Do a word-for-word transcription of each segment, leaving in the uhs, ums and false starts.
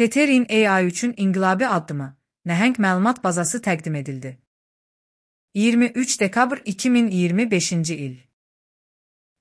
Tetherin A I üçün inqilabi addımı, nəhəng məlumat bazası təqdim edildi. iyirmi üç dekabr iki min iyirmi beşinci il.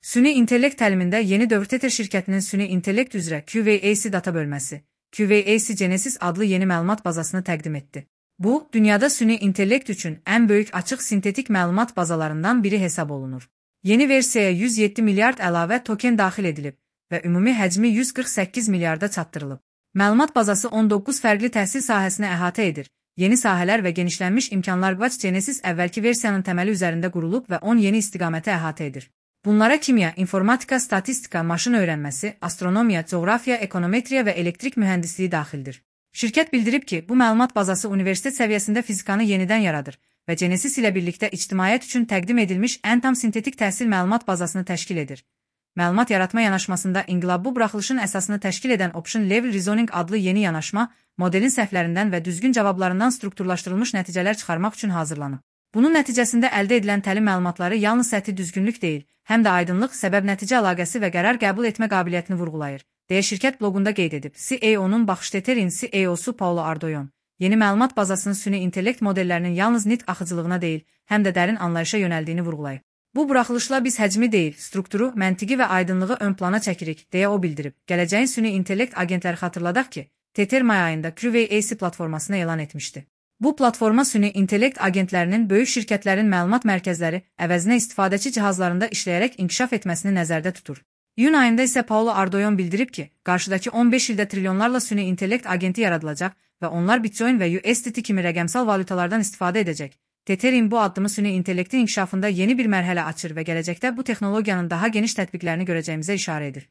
Süni intellekt təlimində yeni dövr Tether şirkətinin süni intellekt üzrə Q V A C data bölməsi, Q V A C Genesis adlı yeni məlumat bazasını təqdim etdi. Bu, dünyada süni intellekt üçün ən böyük açıq sintetik məlumat bazalarından biri hesab olunur. Yeni versiyaya yüz yeddi milyard əlavə token daxil edilib və ümumi həcmi yüz qırx səkkiz milyarda çatdırılıb. Məlumat bazası on doqquz fərqli təhsil sahəsini əhatə edir. Yeni sahələr və genişlənmiş imkanlar Watch Genesis əvvəlki versiyanın təməli üzərində qurulub və on yeni istiqaməti əhatə edir. Bunlara kimya, informatika, statistika, maşın öyrənməsi, astronomiya, coğrafiya, ekonometriya və elektrik mühəndisliyi daxildir. Şirkət bildirib ki, bu məlumat bazası universitet səviyyəsində fizikanı yenidən yaradır və Genesis ilə birlikdə ictimaiyyət üçün təqdim edilmiş ən tam sintetik təhsil məlumat bazasını təşkil edir. Məlumat yaratma yanaşmasında inqilab bu buraxılışın əsasını təşkil edən Option Level Reasoning adlı yeni yanaşma, modelin səhvlərindən və düzgün cavablarından strukturlaşdırılmış nəticələr çıxarmaq üçün hazırlanıb. Bunun nəticəsində əldə edilən təlim məlumatları yalnız səthi düzgünlük deyil, həm də aydınlıq, səbəb-nəticə əlaqəsi və qərar qəbul etmə qabiliyyətini vurğulayır, deyə şirkət bloqunda qeyd edib. C E O-nun baxış Tetherin C E O-su Paulo Ardoyon, yeni məlumat bazasının süni intellekt modellərinin yalnız nitq axıcılığına deyil, həm də dərin anlayışa yönəldiyini vurğulayıb. Bu buraxılışla biz həcmi deyil, strukturu, məntiqi və aydınlığı ön plana çəkirik, deyə o bildirib. Gələcəyin süni intellekt agentləri xatırladaq ki, Tether may ayında Q V A C platformasını elan etmişdi. Bu platforma süni intellekt agentlərinin böyük şirkətlərin məlumat mərkəzləri əvəzinə istifadəçi cihazlarında işləyərək inkişaf etməsini nəzərdə tutur. İyun ayında isə Paulo Ardoyon bildirib ki, qarşıdakı on beş ildə trilyonlarla süni intellekt agenti yaradılacaq və onlar Bitcoin və U S D T kimi rəqəmsal valyutalardan istifadə edəcək. Tetherin bu addımı süni intellektin inkişafında yeni bir mərhələ açır və gələcəkdə bu texnologiyanın daha geniş tətbiqlərini görəcəyimizə işarə edir.